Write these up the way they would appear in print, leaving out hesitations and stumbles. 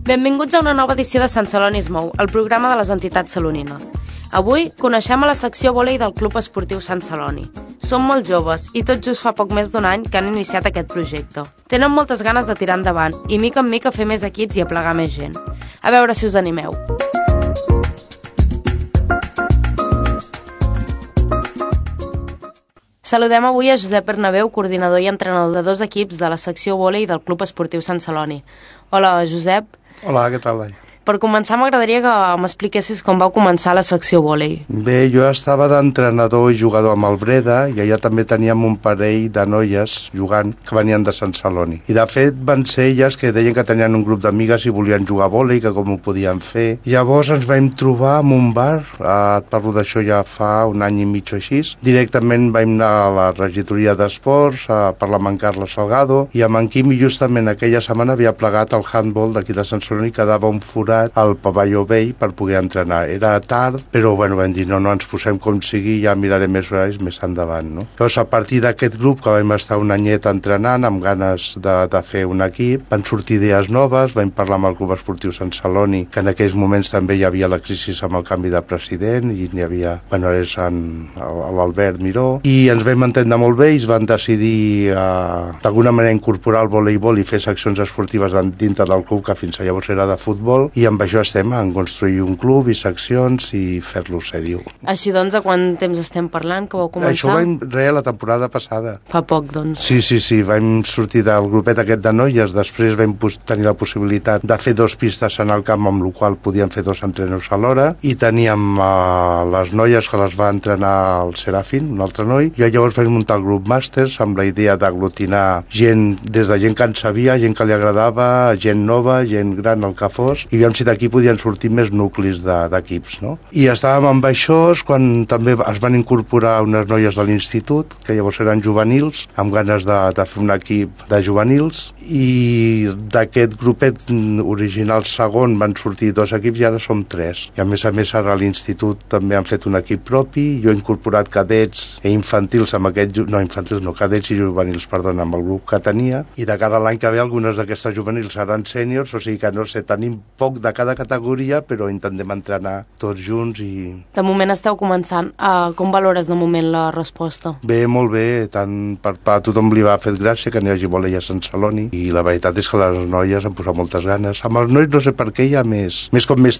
Benvinguts a una nova edició de Sant Celoni es mou, el programa de les entitats salonines. Avui coneixem a la secció vòlei del Club Esportiu Sant Celoni. Són molt joves i tot just fa poc més d'un any que han iniciat aquest projecte. Tenen moltes ganes de tirar endavant i mica en mica fer més equips i aplegar més gent. A veure si us animeu. Saludem avui a Josep Bernabéu, coordinador i entrenador de 2 equips de la secció vòlei del Club Esportiu Sant Celoni. Hola, Josep. Hola, què tal? Per començar, m'agradaria que m'expliquessis com vau començar la secció vòlei. Bé, jo estava d'entrenador i jugador amb el Breda i allà també teníem un parell de noies jugant que venien de Sant Celoni. I de fet van ser elles que deien que tenien un grup d'amigues i volien jugar a vòlei, que com ho podien fer. Llavors ens vam trobar en un bar, et parlo d'això ja fa un any i mig o així. Directament vam anar a la regidoria d'esports a parlar amb en Carles Salgado i amb en Quimi justament aquella setmana havia plegat el handball d'aquí de Sant Celoni i quedava un forat al pavelló vell per poder entrenar. Era tard, però bueno, vam dir no ens posem com sigui, ja mirarem més horaris més endavant, no? Llavors, a partir d'aquest grup, que vam estar un anyet entrenant, amb ganes de fer un equip, van sortir idees noves, vam parlar amb el Club Esportiu Sant Celoni, que en aquells moments també hi havia la crisi amb el canvi de president, i n'hi havia, bueno, és l'Albert Miró, i ens vam entendre molt bé i es van decidir d'alguna manera incorporar el voleibol i fer seccions esportives dintre del club, que fins llavors era de futbol, i amb això estem en construir un club i seccions i fer-lo sèrio. Així doncs, a quant temps estem parlant que vau començar? Això ho vam la temporada passada. Fa poc, doncs. Sí, vam sortir del grupet aquest de noies, després vam tenir la possibilitat de fer 2 pistes en el camp, amb la qual podíem fer 2 entrenos alhora, i teníem les noies que les va entrenar el Serafín, un altre noi, i llavors vam muntar el grup Màsters amb la idea d'aglutinar gent, des de gent que en sabia, gent que li agradava, gent nova, gent gran, el que fos, i si d'aquí podien sortir més nuclis d'equips, no? I estàvem amb això quan també es van incorporar unes noies de l'institut, que llavors eren juvenils, amb ganes de fer un equip de juvenils, i d'aquest grupet original segon van sortir 2 equips i ara som 3. I a més ara a l'institut també han fet un equip propi, jo he incorporat cadets i infantils amb cadets i juvenils, perdona, amb el grup que tenia, i de cara a l'any que ve algunes d'aquestes juvenils seran sèniors, o sigui que no sé, tenim poc de cada categoria, però intentem entrenar tots junts i... De moment esteu començant. Com valores de moment la resposta? Bé, molt bé. Tant a tothom li va fer gràcia que n'hi hagi vòlei a Sant Celoni i la veritat és que les noies han posat moltes ganes. Amb els nois no sé per què hi ha més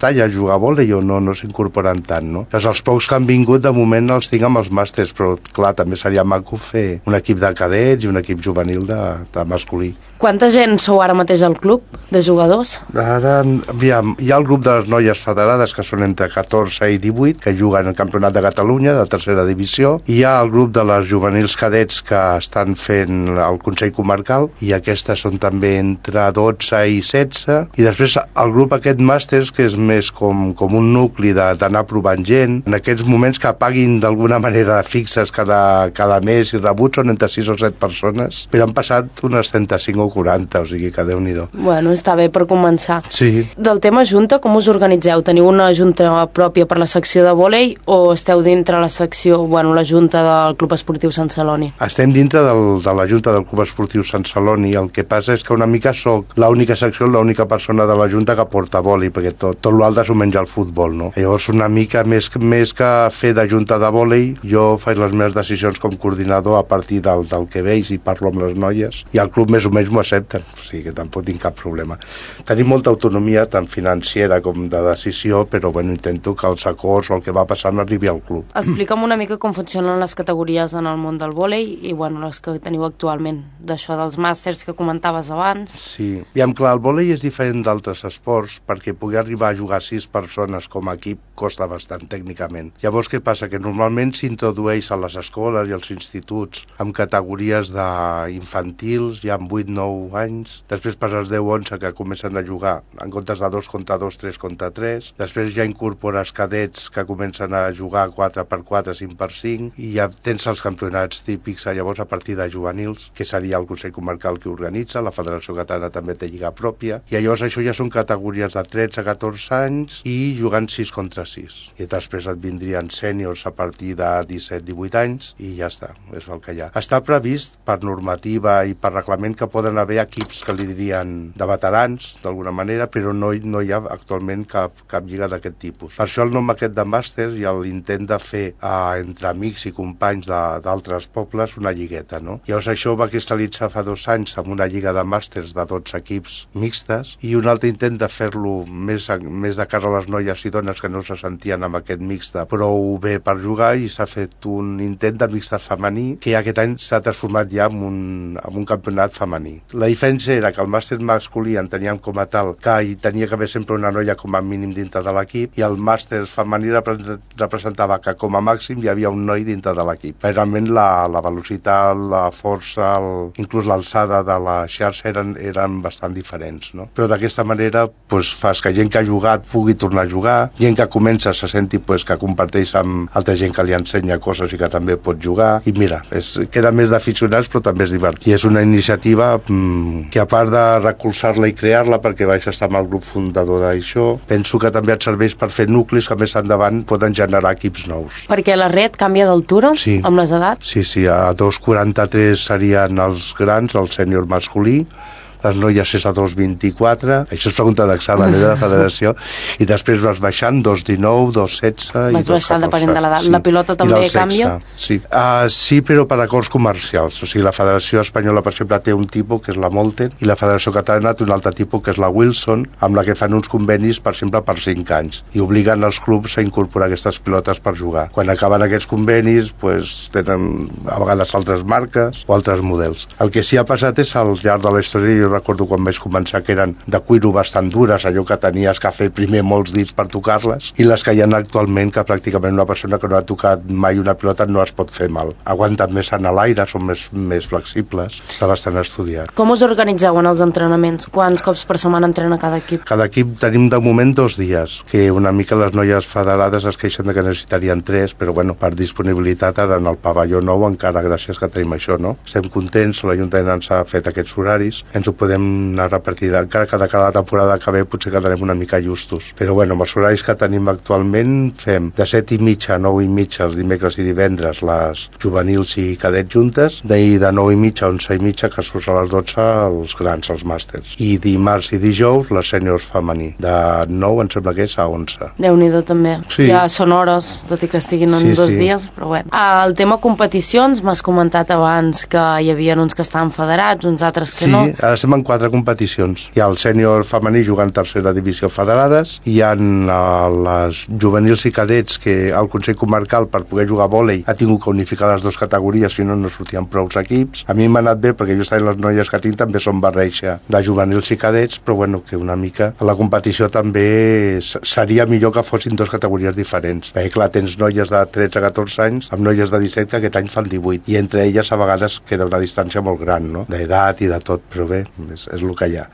talla a jugar a vòlei o no s'incorporen tant, no? Els pocs que han vingut de moment els tinc amb els màsters, però clar, també seria maco fer un equip de cadets i un equip juvenil de masculí. Quanta gent sou ara mateix al club de jugadors? Ara, aviam, hi ha el grup de les noies federades, que són entre 14 i 18, que juguen al Campionat de Catalunya, de tercera divisió. Hi ha el grup de les juvenils cadets que estan fent el Consell Comarcal, i aquestes són també entre 12 i 16. I després el grup aquest màsters, que és més com un nucli d'anar provant gent. En aquests moments que paguin d'alguna manera fixes cada mes i rebuts són entre 6 o 7 persones, però han passat unes 35 o 40, o sigui que Déu-n'hi-do. Bueno, està bé per començar. Sí. Del tema junta, com us organitzeu? Teniu una junta pròpia per la secció de vòlei o esteu dintre la secció, la junta del Club Esportiu Sant Celoni? Estem dintre de la junta del Club Esportiu Sant Celoni. El que passa és que una mica soc l'única secció, l'única persona de la junta que porta vòlei, perquè tot l'altre s'ho menja el futbol, no? Llavors, una mica més que fer de junta de vòlei, jo faig les meves decisions com coordinador a partir del que veig i parlo amb les noies, i el club més o menys m'ho accepten, o sigui que tampoc tinc cap problema. Tenim molta autonomia, tant financera com de decisió, però intento que els acords o el que va passant arribi al club. Explica'm una mica com funcionen les categories en el món del vòlei i les que teniu actualment, d'això dels màsters que comentaves abans. Sí, i clar, el vòlei és diferent d'altres esports perquè poder arribar a jugar 6 persones com a equip costa bastant tècnicament. Llavors, què passa? Que normalment s'introdueix a les escoles i als instituts amb categories infantils, ja amb 8-9 anys, després per als 10-11 que comencen a jugar, en comptes de 2 contra 2, 3 contra 3. Després ja incorpores cadets que comencen a jugar 4x4, 5x5, i ja tens els campionats típics llavors a partir de juvenils, que seria el Consell Comarcal que organitza, la Federació Catalana també té lliga pròpia, i llavors això ja són categories de 13 a 14 anys i jugant 6 contra 6. I després et vindrien sèniors a partir de 17-18 anys i ja està, és el que hi ha. Està previst per normativa i per reglament que poden haver equips que li dirien de veterans, d'alguna manera, però no hi ha actualment cap lliga d'aquest tipus. Per això el nom aquest de màsters i l'intent de fer entre amics i companys d'altres pobles una lligueta, no? Llavors això va cristal·litzar fa 2 anys amb una lliga de màsters de 12 equips mixtes i un altre intent de fer-lo més de cara a les noies i dones que no se sentien amb aquest mixte prou bé per jugar, i s'ha fet un intent de mixte femení que aquest any s'ha transformat ja en un campionat femení. La diferència era que el màster masculí enteníem com a tal que hi tenia que haver sempre una noia com a mínim dintre de l'equip, i el màster femení representava que com a màxim hi havia un noi dintre de l'equip. Realment la velocitat, la força, inclús l'alçada de la xarxa eren bastant diferents, no? Però d'aquesta manera fas que gent que ha jugat pugui tornar a jugar, gent que comença se senti que comparteix amb altra gent que li ensenya coses i que també pot jugar, i mira, queda més d'aficionats però també és divertit. I és una iniciativa que a part de recolzar-la i crear-la, perquè vaig estar amb el grup fundador d'això, penso que també et serveix per fer nuclis que més endavant poden generar equips nous. Perquè la red canvia d'altura amb les edats? Sí, a 2,43 serien els grans, el sènior masculí, les noies és a 2,24, això és pregunta d'examen de la federació, i després vas baixant 2,19, 2,16 i 2,14. Vas baixant depenent de l'edat. Sí. La pilota també canvia? Sí. Sí, però per acords comercials. O sigui, la Federació Espanyola, per exemple, té un tipus, que és la Molten, i la Federació Catalana té un altre tipus, que és la Wilson, amb la que fan uns convenis, per exemple, per 5 anys, i obliguen els clubs a incorporar aquestes pilotes per jugar. Quan acaben aquests convenis, tenen a vegades altres marques o altres models. El que sí ha passat és, al llarg de la història, jo recordo quan vaig començar que eren de cuiro bastant dures, allò que tenies que fer primer molts dits per tocar-les, i les que hi ha actualment, que pràcticament una persona que no ha tocat mai una pilota no es pot fer mal. Aguanten més en l'aire, són més flexibles, està bastant estudiat. Com us organitzeu en els entrenaments? Quants cops per setmana entrena cada equip? Cada equip tenim de moment 2 dies, que una mica les noies federades es queixen que necessitarien 3, però per disponibilitat ara en el pavelló nou encara gràcies que tenim això, no? Estem contents, l'Ajuntament ens ha fet aquests horaris, ens ho podem anar repartint, encara que de cada temporada que ve potser quedarem una mica justos. Però amb els horaris que tenim actualment fem de 7:30 a 9:30 els dimecres i divendres les juvenils i cadets juntes, de 9:30 a 11:30 que surts a les 12 els grans, els màsters. I dimarts i dijous les sèniors femení, de 9 em sembla que és a 11. Déu-n'hi-do també. Sí. Ja són hores, tot i que estiguin en 2 dies, però bueno. El tema competicions, m'has comentat abans que hi havia uns que estaven federats, uns altres que no. Sí, ara estem en 4 competicions. Hi ha el sènior femení jugant tercera divisió federades, hi ha les juvenils i cadets que el Consell Comarcal, per poder jugar a vòlei, ha tingut que unificar les 2 categories, si no sortien prou equips. A mi m'ha anat bé perquè justament les noies que tinc també són barreja de juvenils i cadets, però que una mica la competició també seria millor que fossin 2 categories diferents, perquè clar, tens noies de 13 a 14 anys amb noies de 17 que aquest any fan 18, i entre elles a vegades queda una distància molt gran, no?, d'edat i de tot, però bé, és el que hi ha.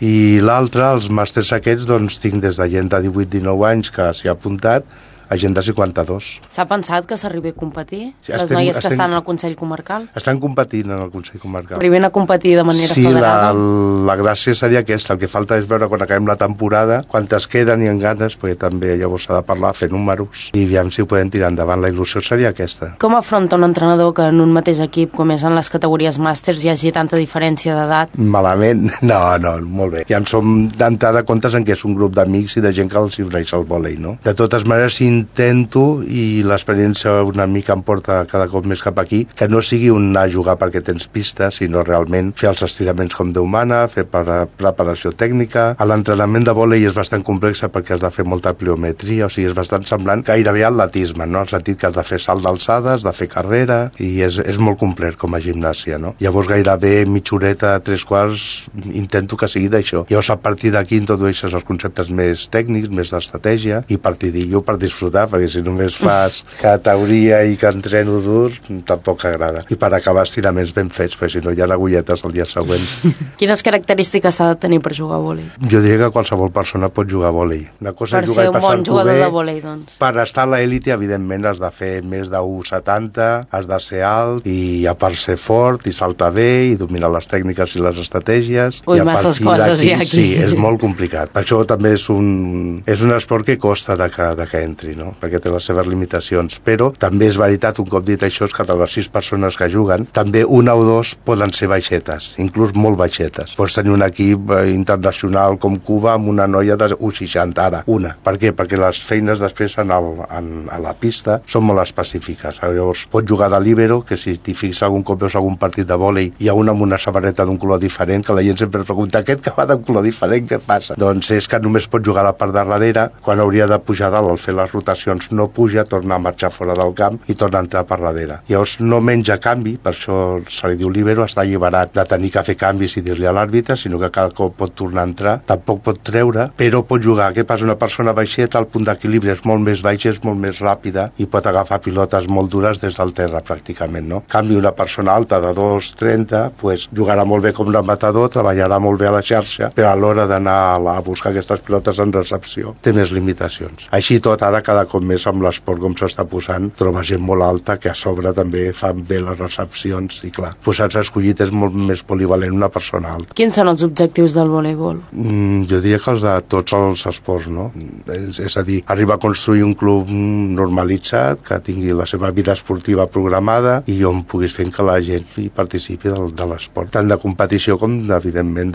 I l'altre, els màsters aquests, tinc des de gent de 18-19 anys que s'hi ha apuntat a gent de 52. S'ha pensat que s'arribi a competir? Les noies que estan al Consell Comarcal? Estan competint en el Consell Comarcal. Arriben a competir de manera federada? Sí, la gràcia seria aquesta. El que falta és veure quan acabem la temporada quantes queden i en ganes, perquè també llavors s'ha de parlar, fer números, i aviam si ho podem tirar endavant. La il·lusió seria aquesta. Com afronta un entrenador que en un mateix equip, com és en les categories màsters, hi hagi tanta diferència d'edat? Malament? No, molt bé. Ja en som d'entrada comptes en que és un grup d'amics i de gent que els hi uneix al vòlei, no? De totes maneres, intento, i l'experiència una mica em porta cada cop més cap aquí, que no sigui un anar a jugar perquè tens pista, sinó realment fer els estiraments com Déu mana, fer preparació tècnica. L'entrenament de vòlei és bastant complex perquè has de fer molta pliometria, o sigui, és bastant semblant gairebé a atletisme, no? En el sentit que has de fer salt d'alçada, has de fer carrera, i és molt complet com a gimnàsia, no? Llavors gairebé mitja horeta, 3/4, intento que sigui d'això. Llavors a partir d'aquí introdueixes els conceptes més tècnics, més d'estratègia, i a partir d'allò per disfrutar sudar, perquè si només fas que teoria i que entreno dur, tampoc agrada. I per acabar estiraments ben fets, perquè si no hi ha agulletes el dia següent. Quines característiques s'ha de tenir per jugar a vòlei? Jo diria que qualsevol persona pot jugar a vòlei. Una cosa Per és jugar ser i un bon passar-t'ho jugador bé. de vòlei, doncs. Per estar a l'élite, evidentment, has de fer més de 1,70, has de ser alt, i a part ser fort, i saltar bé, i dominar les tècniques i les estratègies. Ui, I a masses partir coses d'aquí, hi ha aquí. sí, és molt complicat. Per això també és un esport que costa de que entri, no? Perquè té les seves limitacions. Però també és veritat, un cop dit això, és que de les 6 persones que juguen, també una o dos poden ser baixetes, inclús molt baixetes. Pots tenir un equip internacional com Cuba amb una noia de 1,60 ara, una. Per què? Perquè les feines després a la pista són molt específiques. Llavors, pots jugar de líbero, que si t'hi fixes algun cop veus algun partit de vòlei, hi ha una amb una samarreta d'un color diferent, que la gent sempre pregunta, aquest que va d'un color diferent, què passa? Doncs és que només pot jugar a la part de darrere, quan hauria de pujar dalt al fer les rotacions no puja, torna a marxar fora del camp i torna a entrar per darrere. Llavors no menja canvi, per això se li diu líbero, està alliberat de tenir que fer canvis i dir-li a l'àrbitre, sinó que cada cop pot tornar a entrar, tampoc pot treure, però pot jugar. Què passa? Una persona baixeta, el punt d'equilibri és molt més baix, és molt més ràpida i pot agafar pilotes molt dures des del terra, pràcticament, no? En canvi, una persona alta de 2,30, pues, jugarà molt bé com un matador, treballarà molt bé a la xarxa, però a l'hora d'anar a buscar aquestes pilotes en recepció té més limitacions. Així tot, ara cada cop més amb l'esport com s'està posant, troba gent molt alta que a sobre també fan bé les recepcions i clar, posats a escollit és molt més polivalent una persona alta. Quins són els objectius del voleibol? Jo diria que els de tots els esports, no? És a dir, arribar a construir un club normalitzat, que tingui la seva vida esportiva programada i on puguis fer que la gent hi participi de l'esport, tant de competició com, evidentment,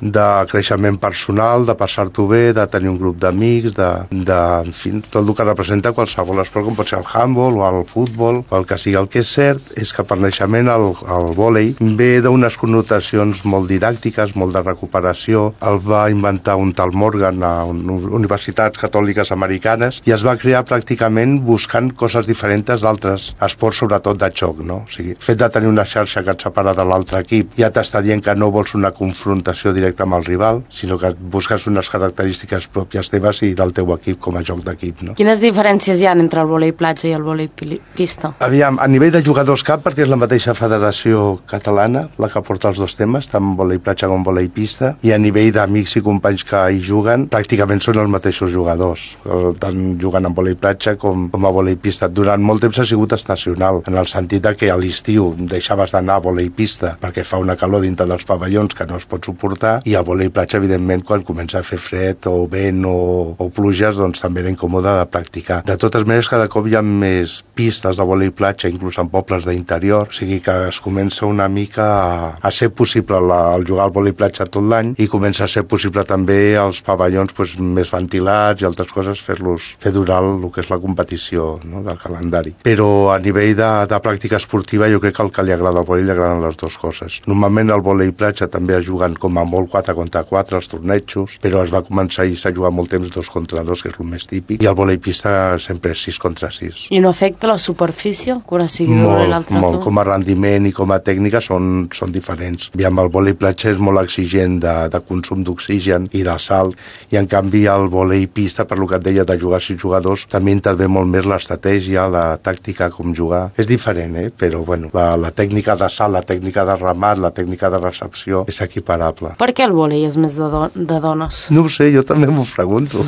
de creixement personal, de passar-t'ho bé, de tenir un grup d'amics, en fi, tot el que representa qualsevol esport, com pot ser el handball o el futbol, o el que sigui. El que és cert és que per naixement el vòlei ve d'unes connotacions molt didàctiques, molt de recuperació. El va inventar un tal Morgan a universitats catòliques americanes i es va crear pràcticament buscant coses diferents d'altres esports, sobretot de xoc, no? O sigui, el fet de tenir una xarxa que et separa de l'altre equip ja t'està dient que no vols una confrontació directa amb el rival, sinó que busques unes característiques pròpies teves i del teu equip com a joc d'equip, no? Quines diferències hi ha entre el vòlei platja i el vòlei pista? Aviam, a nivell de jugadors cap, perquè és la mateixa federació catalana la que porta els dos temes, tant vòlei platja com vòlei pista, i a nivell d'amics i companys que hi juguen, pràcticament són els mateixos jugadors, tant jugant en vòlei platja com a vòlei pista. Durant molt temps ha sigut estacional, en el sentit de que a l'estiu deixaves d'anar a vòlei pista perquè fa una calor dintre dels pavellons que no es pot suportar, i al vòlei platja, evidentment, quan comença a fer fred o vent o pluges, doncs també era incòmode de practicar. De totes maneres, cada cop hi ha més pistes de vòlei platja, inclús en pobles d'interior, o sigui que es comença una mica a ser possible el jugar al vòlei platja tot l'any, i comença a ser possible també els pavellons més ventilats i altres coses, fer durar el que és la competició, no, del calendari. Però a nivell de pràctica esportiva, jo crec que el que li agrada al vòlei li agraden les dues coses. Normalment el vòlei platja també es juguen com a molt 4 contra 4, els tornejos, però es va començar i s'ha jugat molt temps 2 contra 2, que és el més típic, i el vòlei pista sempre és 6 contra 6. I no afecta la superfície, que una sigui d'una i l'altra? Molt, com a rendiment i com a tècnica són diferents. Aviam, el vòlei platja és molt exigent de consum d'oxigen i de salt, i en canvi el vòlei pista, per lo que et deia de jugar 6 jugadors, també intervé molt més l'estratègia, la tàctica, com jugar. És diferent, però bueno, la tècnica de salt, la tècnica de remat, la tècnica de recepció és equiparable. Per què el vòlei és més de dones? No ho sé, jo també m'ho pregunto.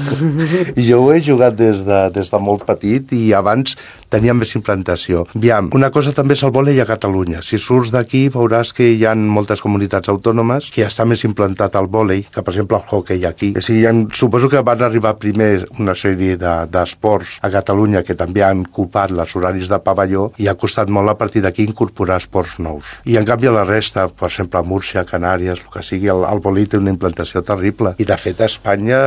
Jo ho he jugat des de molt petit i abans tenia més implantació. Aviam, una cosa també és el vòlei a Catalunya. Si surts d'aquí veuràs que hi ha moltes comunitats autònomes que està més implantat el vòlei que, per exemple, el hoquei aquí. O sigui, suposo que van arribar primer una sèrie d'esports a Catalunya que també han ocupat els horaris de pavelló i ha costat molt a partir d'aquí incorporar esports nous. I en canvi a la resta, per exemple, a Múrcia, Canàries, el que sigui, el vòlei té una implantació terrible. I de fet a Espanya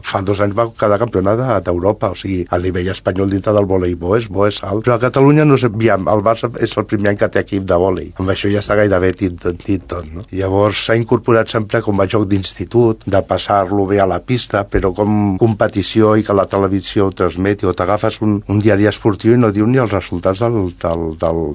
fa 2 anys va quedar campionat d'Europa, o sigui, a nivell espanyol dintre del voleibol és bo, és alt. Però a Catalunya no sé, el Barça és el primer any que té equip de vòlei. Amb això ja està gairebé dit tot, no? Llavors s'ha incorporat sempre com a joc d'institut, de passar-lo bé a la pista, però com competició i que la televisió ho transmeti, o t'agafes un diari esportiu i no diu ni els resultats del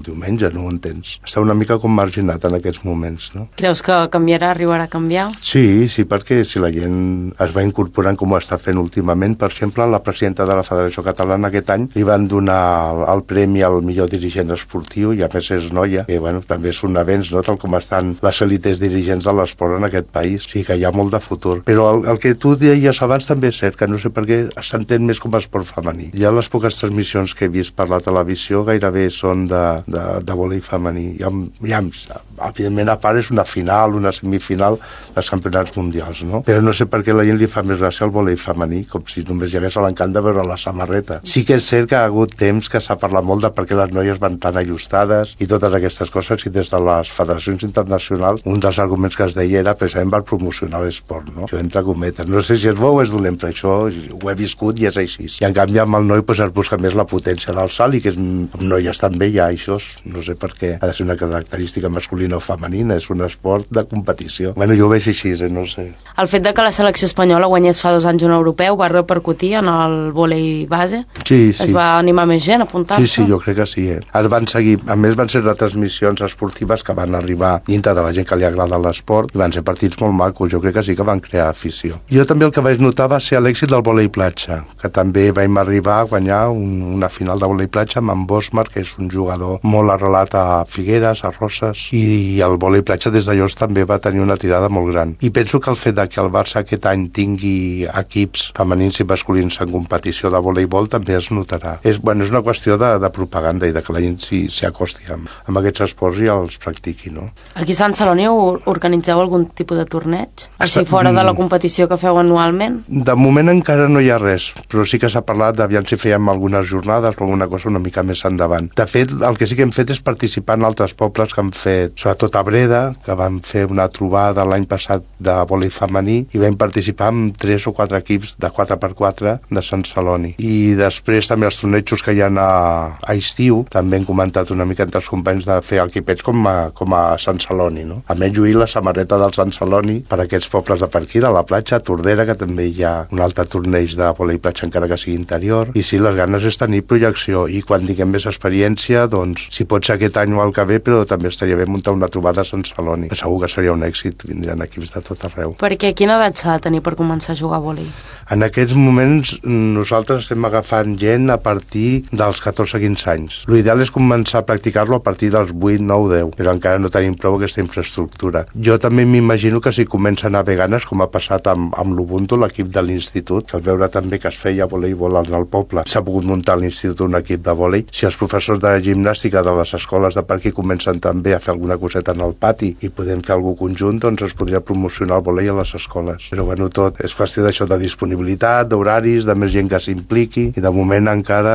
diumenge, no ho entens. Està una mica com marginat en aquests moments, no? Creus que arribarà a canviar? Sí, perquè si la gent es va incorporant com ho està fent últimament, per exemple, la presidenta de la Federació Catalana aquest any li van donar el premi al millor dirigent esportiu, i a més és noia, que bueno, també és un avenç, no?, tal com estan les elites dirigents de l'esport en aquest país. Sí que hi ha molt de futur. Però el que tu deies abans també és cert, que no sé per què s'entén més com a esport femení. Ja les poques transmissions que he vist per la televisió gairebé són de vòlei femení. Evidentment, a part és una final, una semifinal dels campionats mundials, no? Però no sé per què la gent li fa més gràcia al vòlei femení, com si només hi hagués l'encant de veure la samarreta. Sí que és cert que ha hagut temps que s'ha parlat molt de per què les noies van tan ajustades i totes aquestes coses, i des de les federacions internacionals un dels arguments que es deia era precisament per promocionar l'esport, no? Això entre cometes. No sé si és bo o és dolent, però això ho he viscut i és així. I en canvi amb el noi es busca més la potència del salt, i que amb noies també hi ha això, no sé per què ha de ser una característica masculina o femenina, és un esport de competició. Bueno, jo ho veig així, no sé. El fet de que la selecció espanyola guanyés fa 2 anys un europeu va repercutir en el vòlei base? Sí. Es va animar més gent a apuntar-se? Sí, jo crec que sí. Es van seguir, a més van ser retransmissions esportives que van arribar dintre de la gent que li agrada l'esport, i van ser partits molt macos, jo crec que sí que van crear afició. Jo també el que vaig notar va ser l'èxit del vòlei platja, que també vam arribar a guanyar una final de vòlei platja amb en Bosmar, que és un jugador molt arrelat a Figueres, a Roses, i el vòlei platja des de llavors també va tenir una tirada molt gran. I penso que el fet que el Barça aquest any tingui equips femenins i masculins en competició de voleibol també es notarà. És una qüestió de propaganda i de que la gent s'hi acosti amb aquests esports i els practiqui, no? Aquí a Sant Celoni organitzeu algun tipus de torneig? Així fora de la competició que feu anualment? De moment encara no hi ha res, però sí que s'ha parlat d'aviam si fèiem algunes jornades o alguna cosa una mica més endavant. De fet, el que sí que hem fet és participar en altres pobles que han fet, sobretot a Breda, que van fer una trobada l'any passat de vòlei femení, i vam participar amb 3 o 4 equips de 4x4 de Sant Celoni. I després també els tornejos que hi ha a estiu, també hem comentat una mica entre els companys de fer equipets com a Sant Celoni, no? A més, lluir la samarreta del Sant Celoni per aquests pobles de per aquí, de la platja, Tordera, que també hi ha un altre torneig de vòlei platja encara que sigui interior, i sí, les ganes és tenir projecció, i quan tinguem més experiència, doncs, si pot ser aquest any o el que ve, però també estaria bé muntar una trobada a Sant Celoni, que segur que seria un èxit, vindran equips de tot arreu. Perquè quina edat s'ha de tenir per començar a jugar a vòlei? En aquests moments nosaltres estem agafant gent a partir dels 14-15 anys. L'ideal és començar a practicar-lo a partir dels 8, 9, 10, però encara no tenim prou aquesta infraestructura. Jo també m'imagino que si comencen a haver ganes, com ha passat amb l'Ubuntu, l'equip de l'institut, que al veure també que es feia voleibol al poble, s'ha pogut muntar a l'institut un equip de vòlei. Si els professors de gimnàstica de les escoles de per aquí comencen també a fer alguna coseta en el pati i podem fer alguna conjunt, doncs es podria promocionar el vòlei a les escoles. Però bueno, tot és qüestió d'això, de disponibilitat, d'horaris, de més gent que s'impliqui, i de moment encara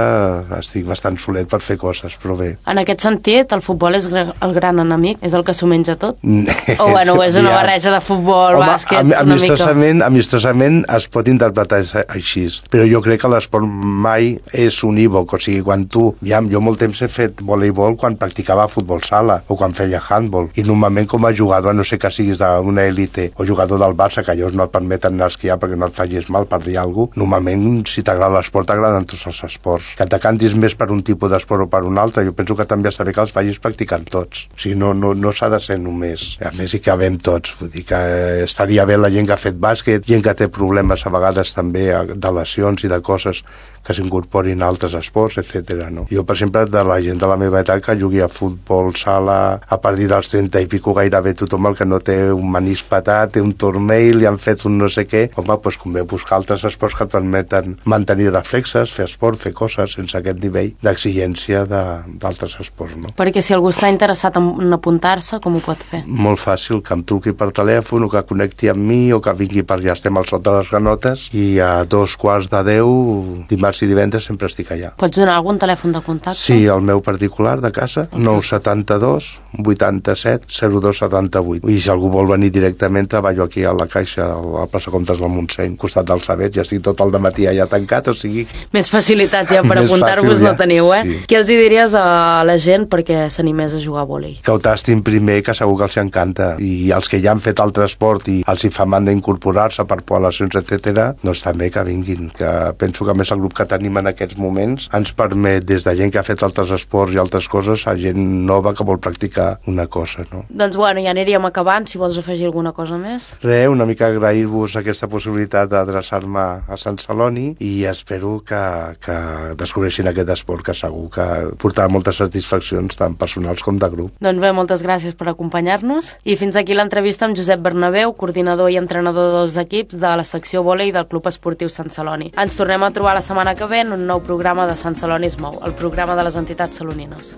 estic bastant solet per fer coses, però bé. En aquest sentit, el futbol és el gran enemic? És el que s'ho menja tot? O bueno, és una barreja de futbol, bàsquet, una mica? Amistosament es pot interpretar així, però jo crec que l'esport mai és unívoc, o sigui, quan tu... Jo molt temps he fet voleibol quan practicava futbol sala o quan feia handball, i normalment com a jugador, no sé que siguis d'una élite o jugador del Barça, que ells no et permeten anar a esquiar perquè no et facis mal per dir alguna cosa, normalment si t'agrada l'esport t'agraden tots els esports. Que t'acantis més per un tipus d'esport o per un altre, jo penso que també està bé que els vagis practicant tots. O sigui, no s'ha de ser només. A més hi cabem tots, vull dir que estaria bé la gent que ha fet bàsquet, gent que té problemes a vegades també de lesions i de coses que s'incorporin a altres esports, etc. No? Jo, per exemple, de la gent de la meva edat que jugui a futbol, sala, a partir dels 30 i pico gairebé tothom el que no té un manís patat, té un turmell, li han fet un no sé què, home, doncs convé buscar altres esports que et permeten mantenir reflexes, fer esport, fer coses sense aquest nivell d'exigència d'altres esports, no? Perquè si algú està interessat en apuntar-se, com ho pot fer? Molt fàcil, que em truqui per telèfon o que connecti amb mi o que vingui per allà, estem al sot de les Granotes, i a 2:15, dimarts i divendres sempre estic allà. Pots donar algun telèfon de contacte? Sí, el meu particular de casa, 972 87 02 78. I si algú vol venir directament, treballo aquí a la Caixa, a la plaça Comtes del Montseny, al costat del Saber, ja estic tot el dematí allà tancat, o sigui... Més facilitats ja per apuntar-vos no teniu, eh? Sí. Què els hi diries a la gent perquè s'animés a jugar a vòlei? Que ho tastin primer, que segur que els encanta, i els que ja han fet altre esport i els hi fa mandra incorporar-se per poblacions, etc., doncs també que vinguin, que penso que més el grup que tenim en aquests moments ens permet, des de gent que ha fet altres esports i altres coses, a gent nova que vol practicar una cosa, no? Doncs bueno, ja aniríem acabant, si vols afegir alguna cosa més. Una mica agrair-vos aquesta possibilitat d'adreçar-me a Sant Celoni i espero que descobreixin aquest esport que segur que portarà moltes satisfaccions tant personals com de grup. Doncs bé, moltes gràcies per acompanyar-nos i fins aquí l'entrevista amb Josep Bernabéu, coordinador i entrenador dels equips de la secció vòlei del Club Esportiu Sant Celoni. Ens tornem a trobar la setmana que ve en un nou programa de Sant Celoni es mou, el programa de les entitats salonines.